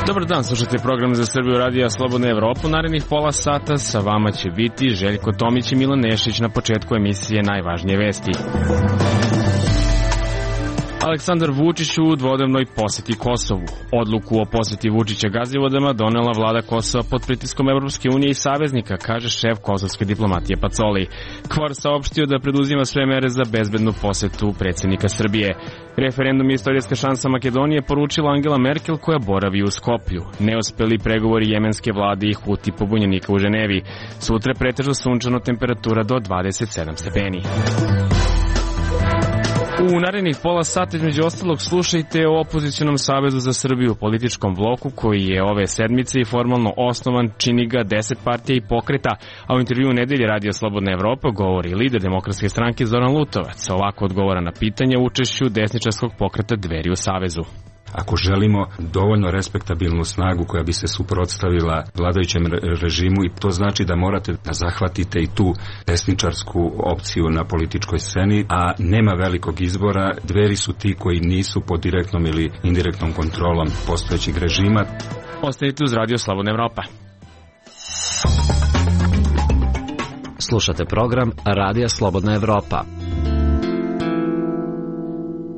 Dobar dan, slušajte program za Srbiju radija Slobodna Evropa. Narednih pola sata sa vama će biti Željko Tomić i Milan Nešić. Na početku emisije najvažnije vesti. Aleksandar Vučić u dvodnevnoj poseti Kosovu. Odluku o poseti Vučića Gazivodama donela vlada Kosova pod pritiskom Evropske unije i saveznika, kaže šef kosovske diplomatije Pacoli. KFOR saopštio da preduzima sve mere za bezbednu posetu predsjednika Srbije. Referendum je istorijska šansa Makedonije, poručila Angela Merkel koja boravi u Skoplju. Neuspeli pregovori jemenske vlade i Huti pobunjenika u Ženevi. Sutra pretežno sunčano, temperatura do 27 stepeni. U narednih pola sata između ostalog slušajte o opozicionom savezu za Srbiju, političkom bloku koji je ove sedmice i formalno osnovan, čini ga 10 partija i pokreta, a u intervju nedelje Radio Slobodna Evropa govori lider Demokratske stranke Zoran Lutovac. Ovako odgovara na pitanje o učešću desničarskog pokreta Dveri u savezu. Ako želimo dovoljno respektabilnu snagu koja bi se suprotstavila vladajućem režimu, i to znači da morate da zahvatite i tu desničarsku opciju na političkoj sceni, a nema velikog izbora. Dveri su ti koji nisu pod direktnom ili indirektnom kontrolom postojećeg režima. Ostanite uz Radio Slobodna Evropa. Slušate program Radija Slobodna Evropa.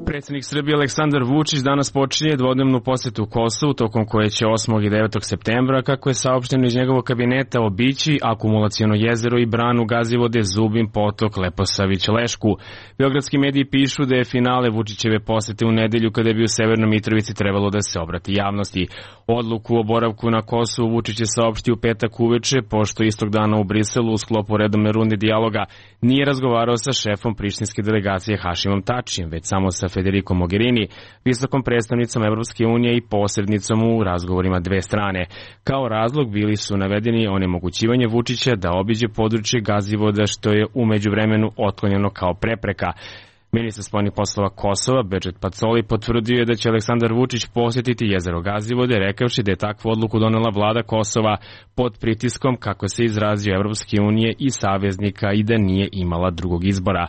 Predsjednik Srbije Aleksandar Vučić danas počinje dvodnevnu posetu Kosovu, tokom koje će 8. i 9. septembra, kako je saopšteno iz njegovog kabineta, obići akumulaciono jezero i branu Gazivode, Zubin Potok, Leposavić, Lešku. Beogradski mediji pišu da je finale Vučićeve posete u nedelju, kada bi u Severnoj Mitrovici trebalo da se obrati javnosti. Odluku o boravku na Kosovu Vučić je saopštio u petak uveče, pošto istog dana u Briselu u sklopu redovne runde dijaloga nije razgovarao sa šefom prištinske delegacije Hašimom Tačijem, već samo sa Federico Mogherini, visokom predstavnicom Evropske unije i posrednicom u razgovorima dve strane. Kao razlog bili su navedeni onemogućivanje Vučića da obiđe područje Gazivoda, što je u međuvremenu otklonjeno kao prepreka. Ministar spoljnih poslova Kosova, Bedžet Pacoli, potvrdio je da će Aleksandar Vučić posjetiti jezero Gazivode, rekavši da je takvu odluku donela vlada Kosova pod pritiskom, kako se izrazio Evropske unije i saveznika, i da nije imala drugog izbora.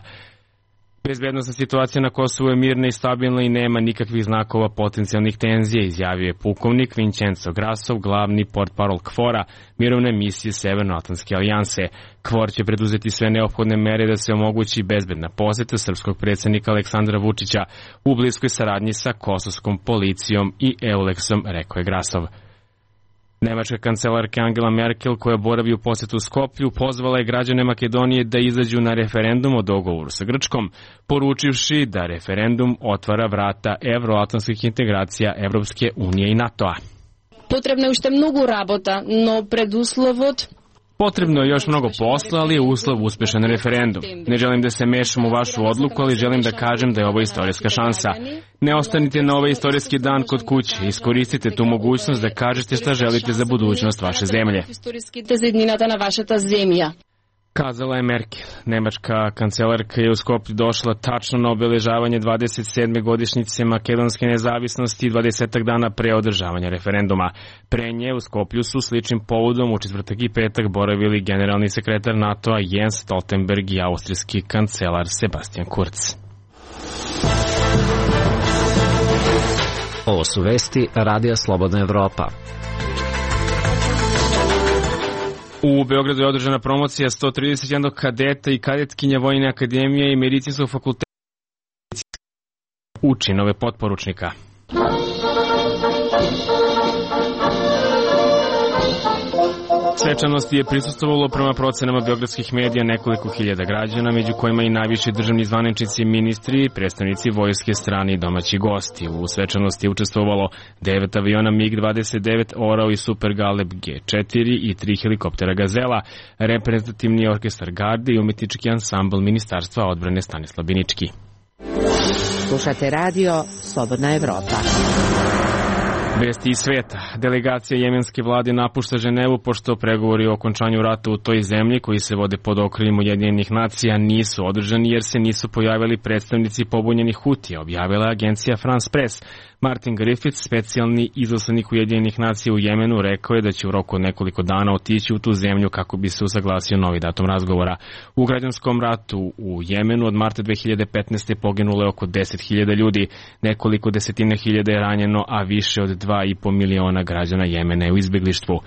Bezbednosna situacija na Kosovu je mirna i stabilna i nema nikakvih znakova potencijalnih tenzija, izjavio je pukovnik Vincenzo Grasov, glavni portparol KFOR-a, mirovne misije Severnoatlantske alijanse. KFOR će preduzeti sve neophodne mere da se omogući bezbedna poseta srpskog predsjednika Aleksandra Vučića u bliskoj saradnji sa kosovskom policijom i EULEX-om, rekao je Grasov. Nemačka kancelarka Angela Merkel, koja boravi u posetu Skoplju, pozvala je građane Makedonije da izađu na referendum o dogovoru sa Grčkom, poručivši da referendum otvara vrata evroatlantskih integracija Evropske unije i NATO-a. Potrebno je još mnogo rabota, no preduslovot... Potrebno je još mnogo posla, ali je uslov uspešan referendum. Ne želim da se mešam u vašu odluku, ali želim da kažem da je ovo istorijska šansa. Ne ostanite na ovaj istorijski dan kod kuće. Iskoristite tu mogućnost da kažete šta želite za budućnost vaše zemlje. Kazala je Merkel. Nemačka kancelarka je u Skoplju došla tačno na obeležavanje 27. godišnjice makedonske nezavisnosti i 20 dana pre održavanja referenduma. Pre nje u Skoplju su sličnim povodom u četvrtak i petak boravili generalni sekretar NATO-a Jens Stoltenberg i austrijski kancelar Sebastian Kurz. Ovo su vesti Radija Slobodna Evropa. U Beogradu je održana promocija 131 kadeta i kadetkinja Vojne akademije i Medicinskog fakulteta u činove potporučnika. Svečanosti je prisustvovalo prema procenama beogradskih medija nekoliko hiljada građana, među kojima i najviši državni zvaničnici, ministri, predstavnici vojske, strani i domaći gosti. U svečanosti je učestvovalo 9 aviona MiG-29, Orao i Super Galeb G4 i 3 helikoptera Gazela, reprezentativni orkestar garde i umetnički ansambl Ministarstva odbrane Stanislav Binički. Slušate radio Slobodna Evropa. Vesti iz sveta. Delegacija jemenske vlade napušta Ženevu pošto pregovori o okončanju rata u toj zemlji, koji se vode pod okriljem Ujedinjenih nacija, nisu održani jer se nisu pojavili predstavnici pobunjenih Hutija, objavila agencija France Press. Martin Griffiths, specijalni izaslanik Ujedinjenih nacija u Jemenu, rekao je da će u roku od nekoliko dana otići u tu zemlju kako bi se usaglasio novi datum razgovora. U građanskom ratu u Jemenu od marta 2015. poginulo je oko 10.000 ljudi, nekoliko desetina hiljada je ranjeno, a više od 2,5 miliona građana Jemena je u izbeglištvu.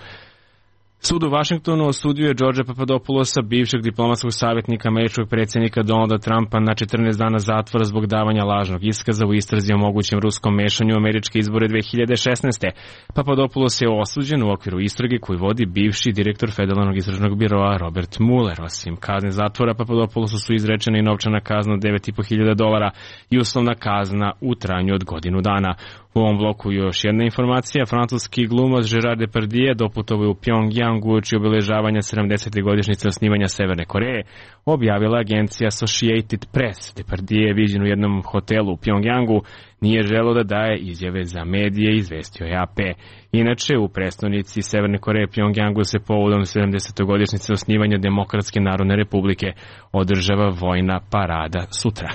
Sud u Vašingtonu osudio je Georgea Papadopoulosa, bivšeg diplomatskog savjetnika američkog predsjednika Donalda Trumpa, na 14 dana zatvora zbog davanja lažnog iskaza u istrazi o mogućem ruskom mešanju u američke izbore 2016. Papadopoulos je osuđen u okviru istrage koju vodi bivši direktor Federalnog istražnog biroa Robert Mueller. Osim kazne zatvora, Papadopoulosu su izrečena i novčana kazna od $9.500 i uslovna kazna u trajanju od godinu dana. U ovom bloku još jedna informacija. Francuski glumac Gerard Depardieu doputovao je u Pyongyang uoči obeležavanja 70. godišnjice osnivanja Severne Koreje, objavila agencija Associated Press. Depardieu je viđen u jednom hotelu u Pyongyangu, nije želeo da daje izjave za medije, izvestio je AP. Inače, u prestonici Severne Koreje Pyongyangu se povodom 70. godišnjice osnivanja Demokratske narodne republike održava vojna parada sutra.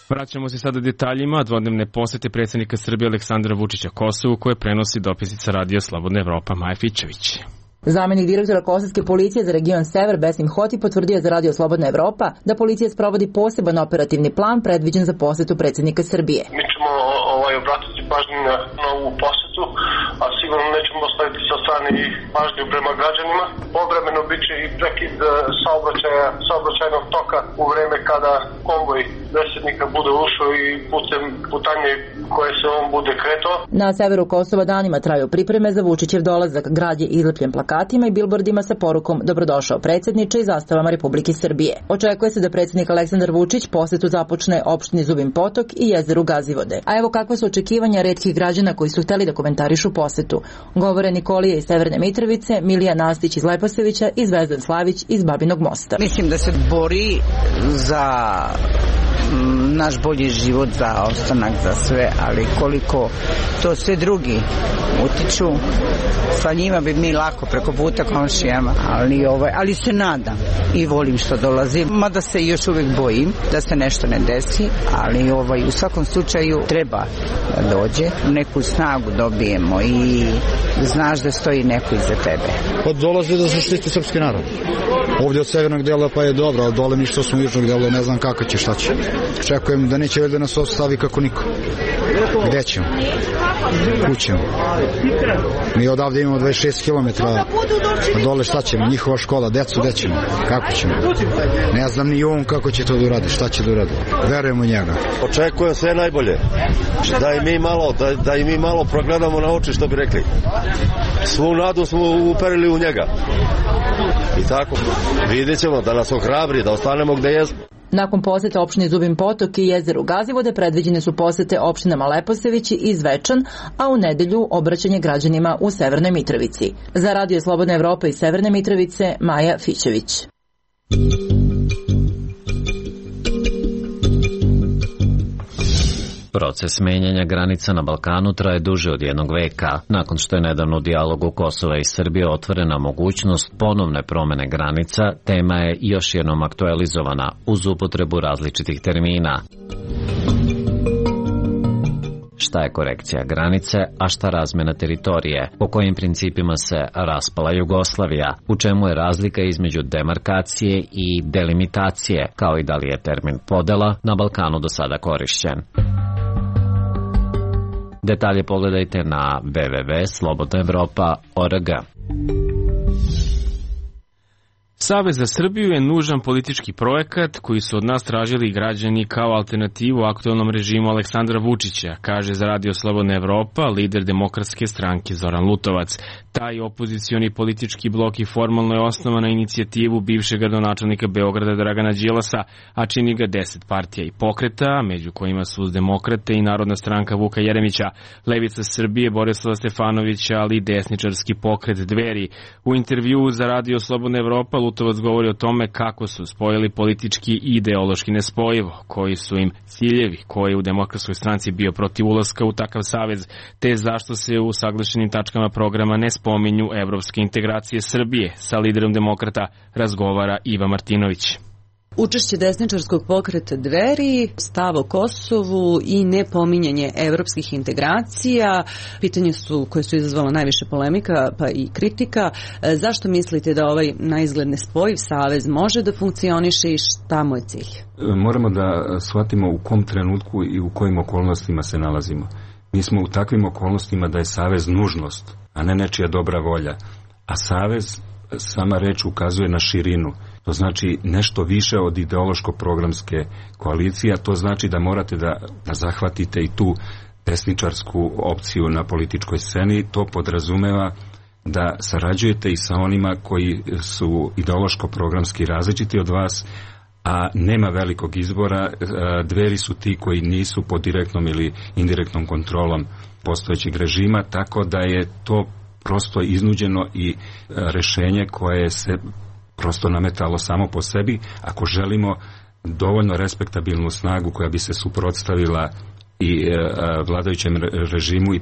Vraćamo se sada detaljima dvodnevne posete predsjednika Srbije Aleksandra Vučića Kosovu, koje prenosi dopisnica Radio Slobodna Evropa Maja Fićević. Zamenik direktora Kosovske policije za region Sever Besim Hoti potvrdio za Radio Slobodna Evropa da policija sprovodi poseban operativni plan predviđen za posetu predsjednika Srbije. Mi ćemo obratiti pažnju na ovu posetu, a sigurno nećemo ostaviti sa strane i pažnju prema građanima. Povremeno biće i prekid saobraćajnog toka u vreme kada konvoj predsjednika bude ušao i putem putanje koje se on bude kretao. Na severu Kosova danima traju pripreme za Vučićev dolazak. Grad je izlepljen plakatima i bilbordima sa porukom "Dobrodošao predsjedniče" i zastavama Republike Srbije. Očekuje se da predsjednik Aleksandar Vučić posetu započne opštini Zubin Potok i jezeru Gazivode. A evo kakva su očekivanja retkih građana koji su hteli da komentarišu posetu. Govore Nikolija iz Severne Mitrovice, Milija Nastić iz Leposevića i Zvezdan Slavić iz Babinog Mosta. Mislim da se bori za naš bolji život, za ostanak, za sve, ali koliko to sve drugi utiču, sa njima bi mi lako preko puta komšijama, ali se nadam i volim što dolazim, mada se još uvijek bojim da se nešto ne desi, ali u svakom slučaju treba da dođe, neku snagu dobijemo i znaš da stoji neko iza tebe. Pa dolazi da se štiti srpski narod. Ovdje od severnog dela pa je dobro, ali dole mi što smo južnog dela ne znam kako će, šta će. Čekujem da neće da nas ostavi kako niko. Gde ćemo? Kućemo. Mi odavde imamo 26 km, a dole šta ćemo? Njihova škola, decu, gde ćemo? Kako ćemo? Ne znam ni on kako će to da uradi, šta će da uradi. Verujemo u njega. Očekujem sve najbolje. Da i mi malo progledamo na oči, što bi rekli. Svu nadu smo uperili u njega. I tako, vidjet ćemo da nas ohrabri, da ostanemo gde jesmo. Nakon posete opštini Zubin Potok i jezeru Gazivode predviđene su posete opštinama Leposevići i Zvečan, a u nedelju obraćanje građanima u Severnoj Mitrovici. Za Radio Slobodna Evropa iz Severne Mitrovice, Maja Fićević. Proces menjanja granica na Balkanu traje duže od jednog veka. Nakon što je nedavno u dijalogu Kosova i Srbije otvorena mogućnost ponovne promene granica, tema je još jednom aktualizovana uz upotrebu različitih termina. Šta je korekcija granice, a šta razmena teritorije? Po kojim principima se raspala Jugoslavija? U čemu je razlika između demarkacije i delimitacije, kao i da li je termin podela na Balkanu do sada korišćen? Detalje pogledajte na www.slobodnaevropa.org. Savez za Srbiju je nužan politički projekat koji su od nas tražili građani kao alternativu aktuelnom režimu Aleksandra Vučića, kaže za Radio Slobodna Evropa lider Demokratske stranke Zoran Lutovac. Taj opozicioni politički blok i formalno je osnovan na inicijativu bivšeg gradonačelnika Beograda Dragana Đilasa, a čini ga 10 partija i pokreta, među kojima su Demokrate i Narodna stranka Vuka Jeremića, Levica Srbije Borislava Stefanovića, ali i desničarski pokret Dveri. U intervjuu za Radio Slobodna Evropa Lutovac govori o tome kako su spojili politički i ideološki nespojivo, koji su im ciljevi, koji je u Demokratskoj stranci bio protiv ulaska u takav savez, te zašto se u saglašenim tačkama programa ne spominju evropske integracije Srbije. Sa liderom Demokrata razgovara Iva Martinović. Učešće desničarskog pokreta Dveri, stav o Kosovu i nepominjanje evropskih integracija, pitanje su koje su izazvala najviše polemika pa i kritika. Zašto mislite da ovaj naizgled nespojiv savez može da funkcioniše i šta mu je cilj? Moramo da shvatimo u kom trenutku i u kojim okolnostima se nalazimo. Mi smo u takvim okolnostima da je savez nužnost, a ne nečija dobra volja. A savez, sama reč, ukazuje na širinu. To znači nešto više od ideološko-programske koalicije, a to znači da morate da zahvatite i tu desničarsku opciju na političkoj sceni. To podrazumeva da sarađujete i sa onima koji su ideološko-programski različiti od vas, a nema velikog izbora. Dveri su ti koji nisu pod direktnom ili indirektnom kontrolom postojećeg režima, tako da je to prosto iznuđeno i rešenje koje se prosto nametalo samo po sebi. Ako želimo dovoljno respektabilnu snagu koja bi se suprotstavila i vladajućem režimu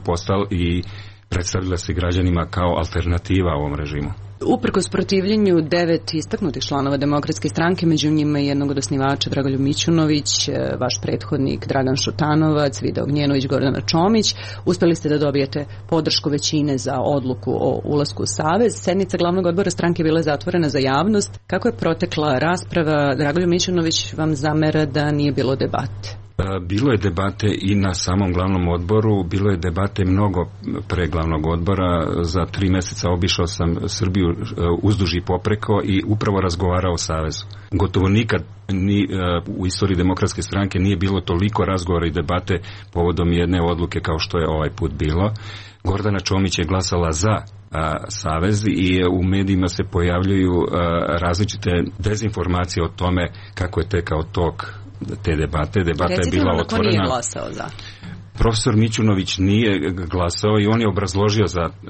i predstavila se građanima kao alternativa ovom režimu. Uprkos protivljenju 9 istaknutih članova Demokratske stranke, među njima i jednog od osnivača Dragoljub Mićunović, vaš prethodnik Dragan Šutanovac, Vida Ognjenović, Gordana Čomić, uspeli ste da dobijete podršku većine za odluku o ulasku u savez. Sednica glavnog odbora stranke bila je zatvorena za javnost. Kako je protekla rasprava? Dragoljub Mićunović vam zamera da nije bilo debate. Bilo je debate i na samom glavnom odboru, bilo je debate mnogo pre glavnog odbora. Za 3 meseca obišao sam Srbiju uzduž i popreko i upravo razgovarao o savezu. Gotovo nikad u istoriji Demokratske stranke nije bilo toliko razgovora i debate povodom jedne odluke kao što je ovaj put bilo. Gordana Čomić je glasala za savez i u medijima se pojavljuju različite dezinformacije o tome kako je tekao tok te debate. Debata je bila otvorena. Ko nije glasao za? Profesor Mićunović nije glasao i on je obrazložio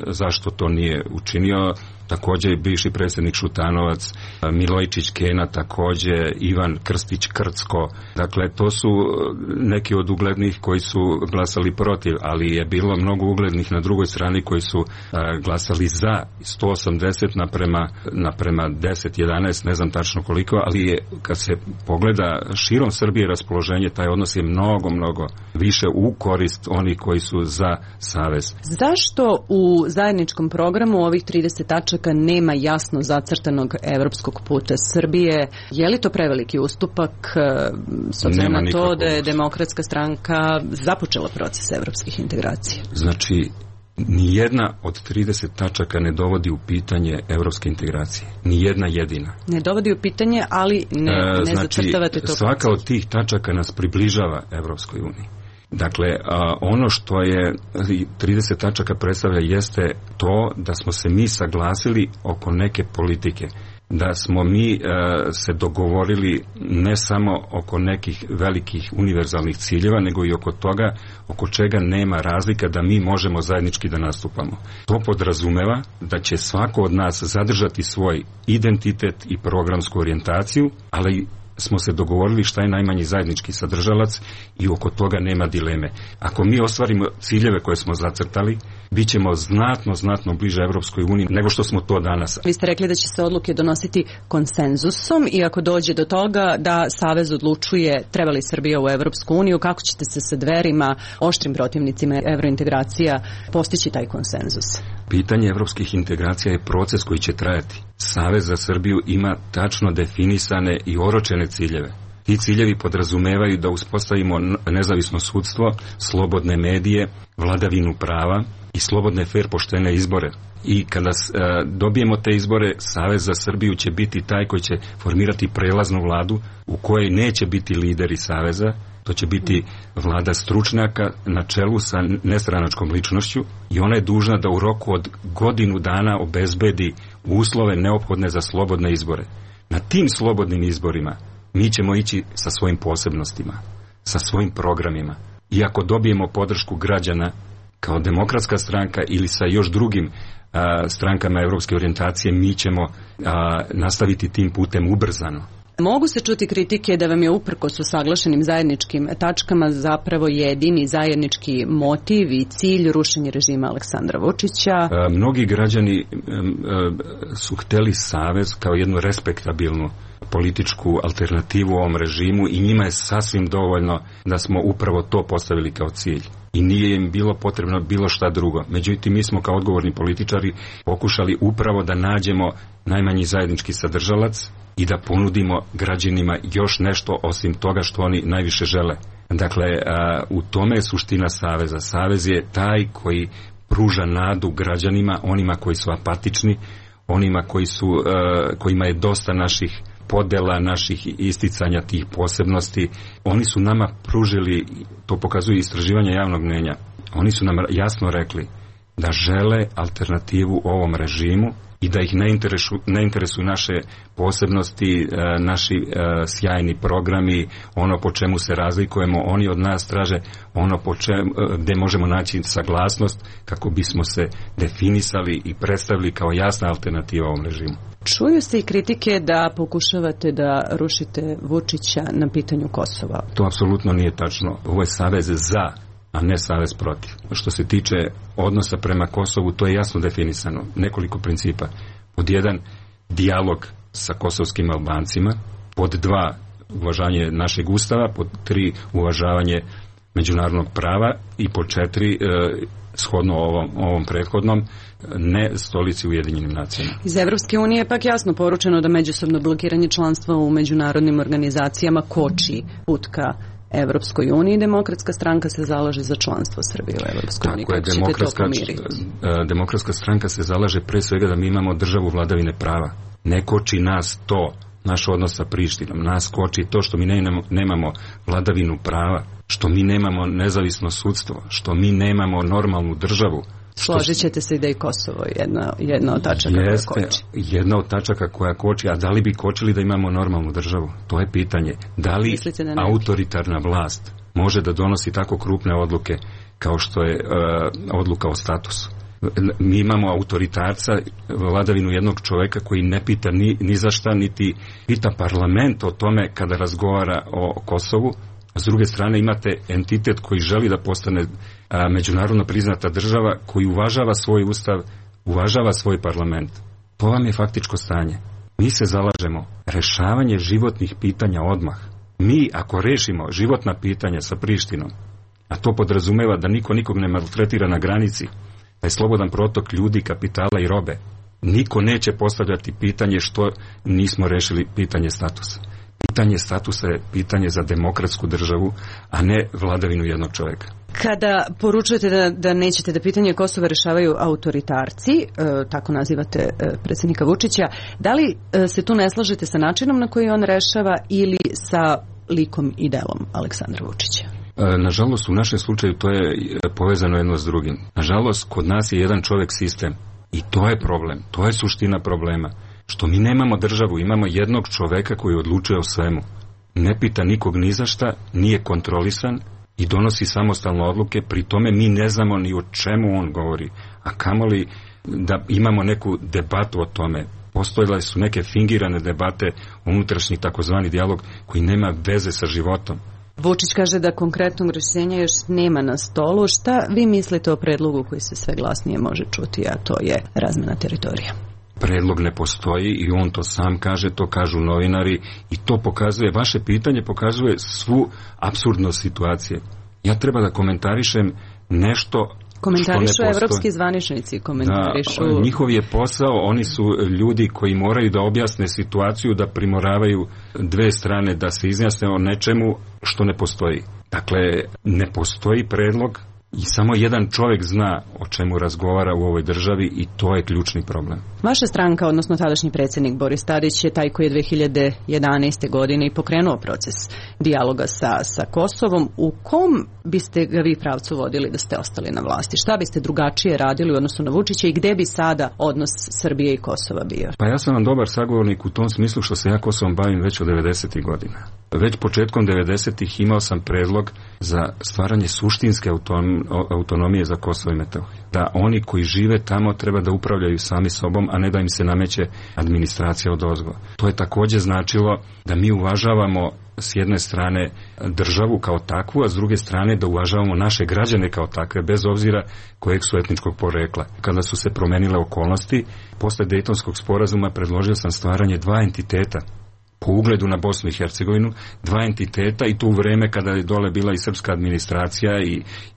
zašto to nije učinio. Takođe bivši predsjednik Šutanovac, Milojičić Kena, takođe Ivan Krstić Krcko. Dakle, to su neki od uglednih koji su glasali protiv, ali je bilo mnogo uglednih na drugoj strani koji su glasali za. 180 naprema 10-11, ne znam tačno koliko, ali je, kad se pogleda širom Srbije raspoloženje, taj odnos je mnogo više u korist onih koji su za savez. Zašto u zajedničkom programu ovih 30 tačaka nema jasno zacrtanog evropskog puta Srbije? Je li to preveliki ustupak s obzirom na to da je Demokratska stranka započela proces evropskih integracija? Znači, nijedna od 30 tačaka ne dovodi u pitanje evropske integracije. Nijedna jedina. Ne dovodi u pitanje, ali ne zacrtavate to. Svaka od tih tačaka nas približava Evropskoj uniji. Dakle, ono što je 30 tačaka predstavlja jeste to da smo se mi saglasili oko neke politike, da smo mi se dogovorili ne samo oko nekih velikih univerzalnih ciljeva, nego i oko toga oko čega nema razlika da mi možemo zajednički da nastupamo. To podrazumeva da će svako od nas zadržati svoj identitet i programsku orijentaciju, ali smo se dogovorili šta je najmanji zajednički sadržalac i oko toga nema dileme. Ako mi ostvarimo ciljeve koje smo zacrtali, bit ćemo znatno bliže Evropskoj uniji nego što smo to danas. Vi ste rekli da će se odluke donositi konsenzusom i ako dođe do toga da Savez odlučuje treba li Srbija u Evropsku uniju, kako ćete se sa Dverima, oštrim protivnicima evrointegracija, postići taj konsenzus? Pitanje evropskih integracija je proces koji će trajati. Savez za Srbiju ima tačno definisane i oročene ciljeve. Ti ciljevi podrazumevaju da uspostavimo nezavisno sudstvo, slobodne medije, vladavinu prava i slobodne, fer, poštene izbore. I kada dobijemo te izbore, Savez za Srbiju će biti taj koji će formirati prelaznu vladu u kojoj neće biti lideri Saveza. To će biti vlada stručnjaka na čelu sa nestranačkom ličnošću i ona je dužna da u roku od godinu dana obezbedi uslove neophodne za slobodne izbore. Na tim slobodnim izborima mi ćemo ići sa svojim posebnostima, sa svojim programima. I ako dobijemo podršku građana kao Demokratska stranka ili sa još drugim strankama evropske orijentacije, mi ćemo nastaviti tim putem ubrzano. Mogu se čuti kritike da vam je uprkos usaglašenim zajedničkim tačkama zapravo jedini zajednički motiv i cilj rušenje režima Aleksandra Vučića. Mnogi građani su hteli savez kao jednu respektabilnu političku alternativu u ovom režimu i njima je sasvim dovoljno da smo upravo to postavili kao cilj. I nije im bilo potrebno bilo šta drugo. Međutim, mi smo kao odgovorni političari pokušali upravo da nađemo najmanji zajednički sadržalac i da ponudimo građanima još nešto osim toga što oni najviše žele. Dakle, u tome je suština saveza. Savez je taj koji pruža nadu građanima, onima koji su apatični, onima kojima je dosta naših podela, naših isticanja tih posebnosti. Oni su nama pružili, to pokazuju istraživanja javnog mnjenja, oni su nam jasno rekli da žele alternativu ovom režimu i da ih ne interesuju naše posebnosti, naši sjajni programi, ono po čemu se razlikujemo. Oni od nas traže ono gde možemo naći saglasnost kako bismo se definisali i predstavili kao jasna alternativa ovom režimu. Čuju se i kritike da pokušavate da rušite Vučića na pitanju Kosova. To apsolutno nije tačno. Ovo je savez za, a ne savez protiv. Što se tiče odnosa prema Kosovu, to je jasno definisano. Nekoliko principa. Pod 1, dijalog sa kosovskim Albancima. Pod 2, uvažavanje našeg ustava. Pod 3, uvažavanje međunarodnog prava. I pod 4, shodno ovom prethodnom, ne stolici Ujedinjenim nacijama. Iz Evropske unije je pak jasno poručeno da međusobno blokiranje članstva u međunarodnim organizacijama koči put ka Evropskoj uniji. Demokratska stranka se zalaže za članstvo Srbije u Evropskoj uniji. Kako je, Demokratska stranka se zalaže pre svega da mi imamo državu vladavine prava. Ne koči nas to, naš odnos sa Prištinom. Nas koči to što mi nemamo vladavinu prava, što mi nemamo nezavisno sudstvo, što mi nemamo normalnu državu. Složit ćete se i da je Kosovo jedna od tačaka koja koči. Jedna od tačaka koja koči, a da li bi kočili da imamo normalnu državu? To je pitanje. Da li autoritarna vlast može da donosi tako krupne odluke kao što je odluka o statusu? Mi imamo autoritarca, vladavinu jednog čoveka koji ne pita ni za šta, niti pita parlament o tome kada razgovara o Kosovu. S druge strane imate entitet koji želi da postane međunarodno priznata država, koji uvažava svoj ustav, uvažava svoj parlament. To vam je faktičko stanje. Mi se zalažemo rešavanje životnih pitanja odmah. Mi ako rešimo životna pitanja sa Prištinom, a to podrazumeva da niko nikog ne maltretira na granici, da je slobodan protok ljudi, kapitala i robe, niko neće postavljati pitanje što nismo rešili pitanje statusa. Pitanje statusa je pitanje za demokratsku državu, a ne vladavinu jednog čoveka. Kada poručujete da nećete da pitanje Kosova rešavaju autoritarci, tako nazivate predsjednika Vučića, da li se tu ne slažete sa načinom na koji on rešava ili sa likom i delom Aleksandra Vučića? Nažalost, u našem slučaju to je povezano jedno s drugim. Nažalost, kod nas je jedan čovek sistem i to je problem, to je suština problema. Što mi nemamo državu, imamo jednog čoveka koji odlučuje o svemu. Ne pita nikog ni za šta, nije kontrolisan i donosi samostalne odluke, pri tome mi ne znamo ni o čemu on govori, a kamoli da imamo neku debatu o tome. Postojale su neke fingirane debate, unutrašnji takozvani dijalog koji nema veze sa životom. Vučić kaže da konkretnog rješenja još nema na stolu. Šta vi mislite o predlogu koji se sve glasnije može čuti, a to je razmena teritorija? Predlog ne postoji i on to sam kaže, to kažu novinari i to pokazuje, vaše pitanje pokazuje svu apsurdnost situacije. Ja treba da komentarišem nešto komentarišu evropski zvaničnici, komentarišu... Da, njihov je posao, oni su ljudi koji moraju da objasne situaciju, da primoravaju dve strane, da se izjasne o nečemu što ne postoji. Dakle, ne postoji predlog i samo jedan čovjek zna o čemu razgovara u ovoj državi i to je ključni problem. Vaša stranka, odnosno tadašnji predsjednik Boris Tadić je taj koji je 2011. godine i pokrenuo proces dijaloga sa Kosovom. U kom biste ga vi pravcu vodili da ste ostali na vlasti? Šta biste drugačije radili u odnosu na Vučića i gde bi sada odnos Srbije i Kosova bio? Pa ja sam vam dobar sagovornik u tom smislu što se ja Kosovom bavim već od 90. godina. Već početkom 90-ih imao sam predlog za stvaranje suštinske autonomije za Kosovo i Metohiju. Da oni koji žive tamo treba da upravljaju sami sobom, a ne da im se nameće administracija odozgo. To je takođe značilo da mi uvažavamo s jedne strane državu kao takvu, a s druge strane da uvažavamo naše građane kao takve, bez obzira kojeg su etničkog porekla. Kada su se promenile okolnosti, posle Dejtonskog sporazuma predložio sam stvaranje dva entiteta po ugledu na Bosnu i Hercegovinu, dva entiteta, i to u vreme kada je dole bila i srpska administracija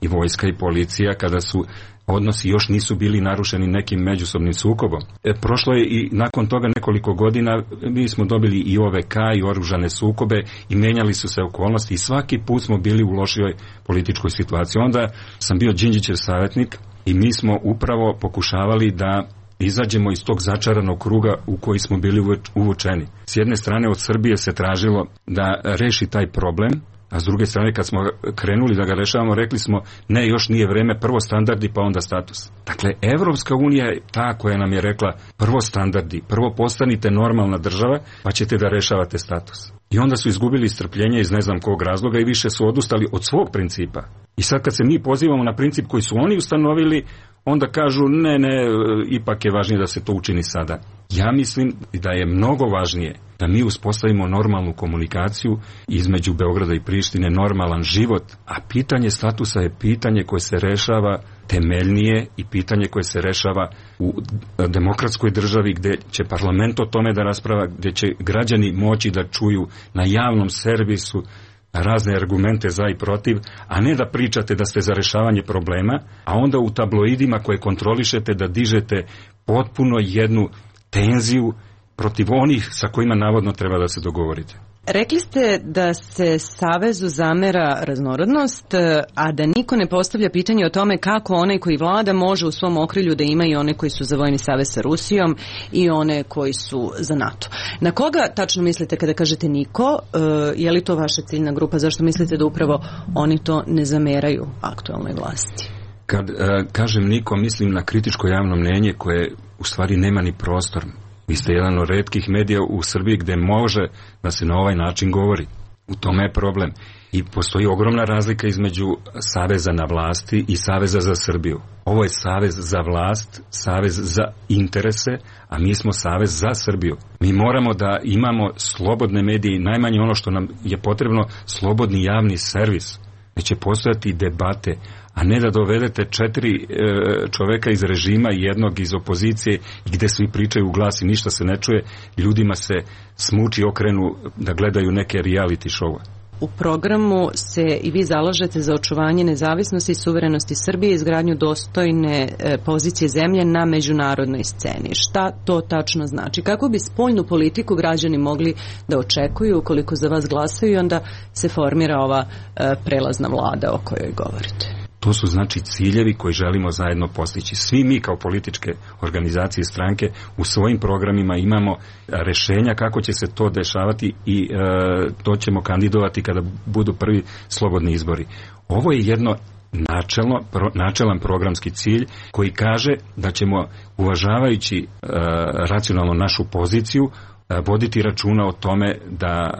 i vojska i policija, kada su odnosi još nisu bili narušeni nekim međusobnim sukobom. Prošlo je i nakon toga nekoliko godina, mi smo dobili i OVK i oružane sukobe i menjali su se okolnosti i svaki put smo bili u lošijoj političkoj situaciji. Onda sam bio Đinđićev savjetnik i mi smo upravo pokušavali da izađemo iz tog začaranog kruga u koji smo bili uvučeni. S jedne strane od Srbije se tražilo da reši taj problem, a s druge strane kad smo krenuli da ga rešavamo, rekli smo ne, još nije vreme, prvo standardi pa onda status. Dakle, Evropska unija je ta koja nam je rekla prvo standardi, prvo postanite normalna država pa ćete da rešavate status. I onda su izgubili strpljenje iz ne znam kog razloga i više su odustali od svog principa. I sad kad se mi pozivamo na princip koji su oni ustanovili, onda kažu ne, ipak je važnije da se to učini sada. Ja mislim da je mnogo važnije da mi uspostavimo normalnu komunikaciju između Beograda i Prištine, normalan život, a pitanje statusa je pitanje koje se rešava temeljnije i pitanje koje se rešava u demokratskoj državi gde će parlament o tome da rasprava, gde će građani moći da čuju na javnom servisu razne argumente za i protiv, a ne da pričate da ste za rešavanje problema, a onda u tabloidima koje kontrolišete da dižete potpuno jednu tenziju protiv onih sa kojima navodno treba da se dogovorite. Rekli ste da se Savezu zamera raznorodnost, a da niko ne postavlja pitanje o tome kako onaj koji vlada može u svom okrilju da ima i one koji su za vojni savez sa Rusijom i one koji su za NATO. Na koga tačno mislite kada kažete niko? Je li to vaša ciljna grupa? Zašto mislite da upravo oni to ne zameraju aktualnoj vlasti? Kad kažem niko, mislim na kritičko javno mnjenje koje u stvari nema ni prostor. Vi ste jedan od retkih medija u Srbiji gde može da se na ovaj način govori. U tome je problem. I postoji ogromna razlika između Saveza na vlasti i Saveza za Srbiju. Ovo je Savez za vlast, Savez za interese, a mi smo Savez za Srbiju. Mi moramo da imamo slobodne medije, najmanje ono što nam je potrebno, slobodni javni servis. Neće postojati debate, a ne da dovedete 4 čoveka iz režima i jednog iz opozicije i gde svi pričaju u glas i ništa se ne čuje, ljudima se smuči okrenu da gledaju neke reality show-a. U programu se i vi zalažete za očuvanje nezavisnosti i suverenosti Srbije i izgradnju dostojne pozicije zemlje na međunarodnoj sceni. Šta to tačno znači? Kako bi spoljnu politiku građani mogli da očekuju ukoliko za vas glasaju i onda se formira ova prelazna vlada o kojoj govorite? To su znači ciljevi koji želimo zajedno postići. Svi mi kao političke organizacije i stranke u svojim programima imamo rešenja kako će se to dešavati i to ćemo kandidovati kada budu prvi slobodni izbori. Ovo je jedno načelan programski cilj koji kaže da ćemo, uvažavajući racionalno našu poziciju, voditi računa o tome da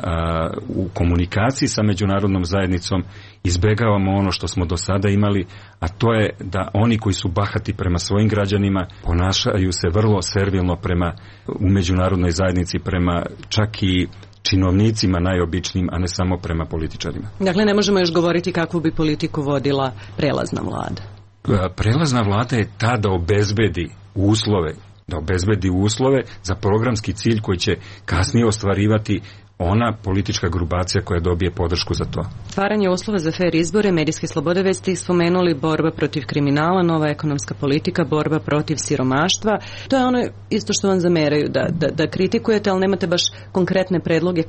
u komunikaciji sa međunarodnom zajednicom izbegavamo ono što smo do sada imali, a to je da oni koji su bahati prema svojim građanima ponašaju se vrlo servilno prema u međunarodnoj zajednici, prema čak i činovnicima najobičnijim, a ne samo prema političarima. Dakle, ne možemo još govoriti kakvu bi politiku vodila prelazna vlada. Prelazna vlada je ta da obezbedi uslove za programski cilj koji će kasnije ostvarivati ona politička grupacija koja dobije podršku za to. Stvaranje uslova za fer izbore, medijske slobode, već ste spomenuli, borba protiv kriminala, nova ekonomska politika, borba protiv siromaštva. To je ono isto što vam zameraju, da kritikujete, ali nemate baš konkretne predloge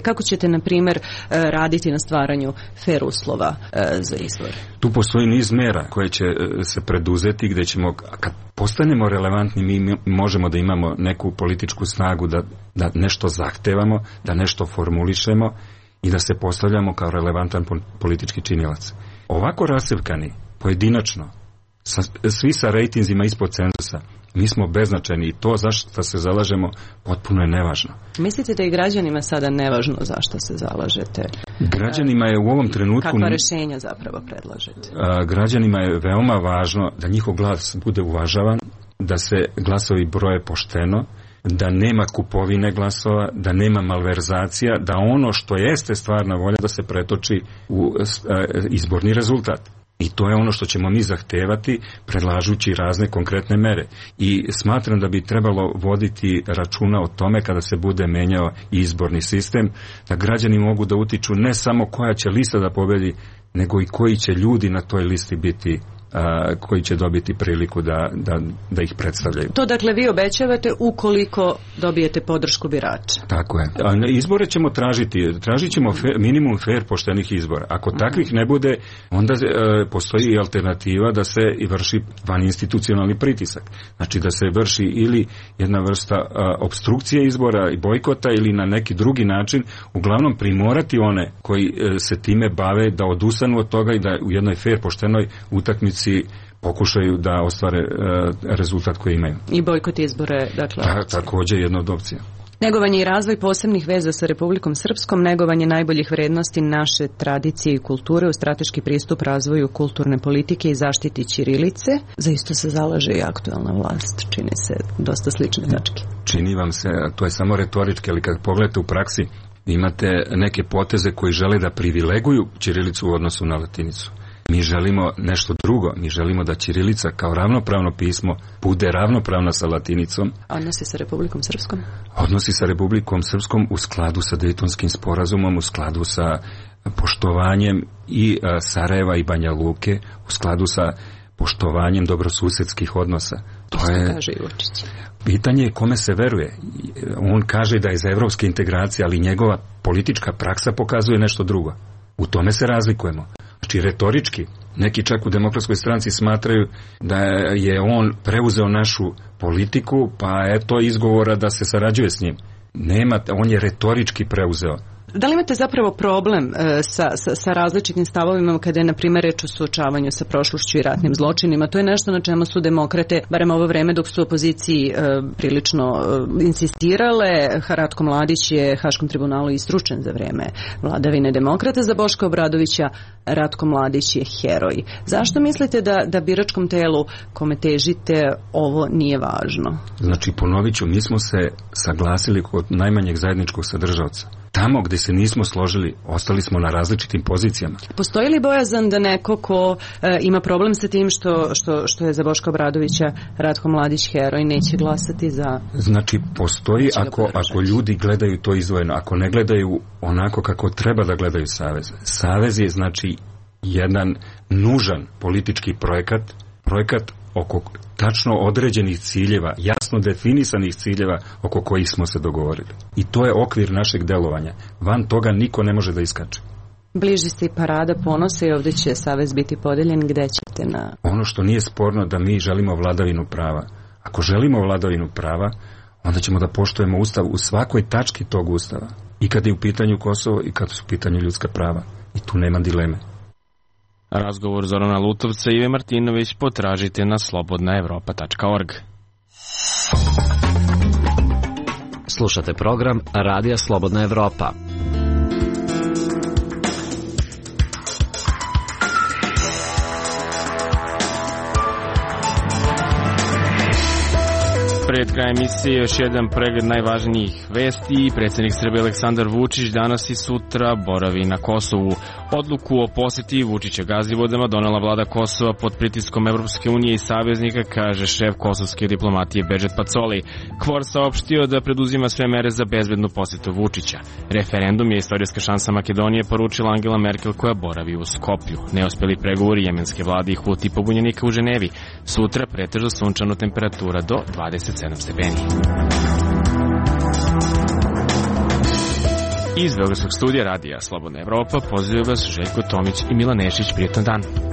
kako ćete na primjer raditi na stvaranju fer uslova za izbore. Tu postoji niz mera koje će se preduzeti gde ćemo, kad postanemo relevantni, mi možemo da imamo neku političku snagu da nešto zahtevamo, da nešto formulišemo i da se postavljamo kao relevantan politički činilac. Ovako rasevkani, pojedinačno, svi sa rejtinzima ispod cenzusa, mi smo beznačajni i to zašto se zalažemo potpuno je nevažno. Mislite da i građanima sada nevažno zašto se zalažete? Građanima je u ovom trenutku... Kakva rešenja zapravo predlažete? Građanima je veoma važno da njihov glas bude uvažavan, da se glasovi broje pošteno, da nema kupovine glasova, da nema malverzacija, da ono što jeste stvarna volja da se pretoči u izborni rezultat. I to je ono što ćemo mi zahtevati predlažući razne konkretne mere. I smatram da bi trebalo voditi računa o tome kada se bude menjao izborni sistem, da građani mogu da utiču ne samo koja će lista da pobedi, nego i koji će ljudi na toj listi biti, koji će dobiti priliku da ih predstavljaju. To dakle vi obećavate ukoliko dobijete podršku birača. Tako je. Izbore ćemo tražit ćemo minimum fair poštenih izbora. Ako takvih ne bude, onda postoji i alternativa da se vrši vaninstitucionalni pritisak. Znači da se vrši ili jedna vrsta opstrukcije izbora i bojkota ili na neki drugi način, uglavnom primorati one koji se time bave da odustanu od toga i da u jednoj fair poštenoj utakmici pokušaju da ostvare rezultat koji imaju. I bojkot izbore, dakle. Također jedna od opcija. Negovanje i razvoj posebnih veza sa Republikom Srpskom, negovanje najboljih vrednosti naše tradicije i kulture u strateški pristup razvoju kulturne politike i zaštiti ćirilice. Za isto se zalaže i aktuelna vlast. Čini se dosta slične tačke. Čini vam se, to je samo retorički, ali kad pogledate u praksi, imate neke poteze koji žele da privileguju ćirilicu u odnosu na latinicu. Mi želimo nešto drugo, mi želimo da ćirilica kao ravnopravno pismo bude ravnopravna sa latinicom. Odnosi sa Republikom Srpskom? Odnosi sa Republikom Srpskom u skladu sa Dejtonskim sporazumom, u skladu sa poštovanjem i Sarajeva i Banja Luke, u skladu sa poštovanjem dobrosusedskih odnosa. To je kaže i Vučić. Pitanje je kome se veruje. On kaže da je za evropske integracije, ali njegova politička praksa pokazuje nešto drugo. U tome se razlikujemo. Znači, retorički, neki čak u Demokratskoj stranci smatraju da je on preuzeo našu politiku, pa eto izgovora da se sarađuje s njim. Nema, on je retorički preuzeo. Da li imate zapravo problem sa različitim stavovima kada je, na primjer, reč o suočavanju sa prošlošću i ratnim zločinima? To je nešto na čemu su demokrate, barem ovo vreme dok su u opoziciji prilično insistirale. Ratko Mladić je Haškom tribunalu istručen za vreme vladavine demokrata. Za Boška Obradovića Ratko Mladić je heroj. Zašto mislite da biračkom telu kome težite ovo nije važno? Znači, ponovit ću, mi smo se saglasili kod najmanjeg zajedničkog sadržavca. Tamo gde se nismo složili, ostali smo na različitim pozicijama. Postoji li bojazan da neko ko ima problem sa tim što je za Boška Obradovića Ratko Mladić heroj, neće glasati za... Znači, postoji ako ljudi gledaju to izdvojeno, ako ne gledaju onako kako treba da gledaju savez. Savez je, znači, jedan nužan politički projekat oko tačno određenih ciljeva, jasno definisanih ciljeva oko kojih smo se dogovorili. I to je okvir našeg delovanja. Van toga niko ne može da iskače. Bliži se i parada ponosa i ovdje će savez biti podeljen. Gde ćete na... Ono što nije sporno da mi želimo vladavinu prava. Ako želimo vladavinu prava, onda ćemo da poštujemo Ustav u svakoj tački tog Ustava. I kad je u pitanju Kosovo i kad su u pitanju ljudska prava. I tu nema dileme. Razgovor Zorana Lutovca i Ive Martinović potražite na slobodnaevropa.org. Slušate program Radija Slobodna Evropa. Pred krajem emisije još jedan pregled najvažnijih vesti. Predsjednik Srbije Aleksandar Vučić danas i sutra boravi na Kosovu. Odluku o posjeti Vučića Gazivodama donela vlada Kosova pod pritiskom Evropske unije i saveznika, kaže šef kosovske diplomatije Bedžet Pacoli. KFOR saopštio da preduzima sve mere za bezbednu posjetu Vučića. Referendum je istorijska šansa Makedonije, poručila Angela Merkel koja boravi u Skoplju. Neuspeli pregovori jemenske vlade i Huti pobunjenika u Ženevi. Sutra pretežno sunčano, temperatura do 27 stepeni. Iz Beogradskog studija Radija Slobodna Evropa pozivaju vas Željko Tomić i Milan Nešić. Prijetan dan.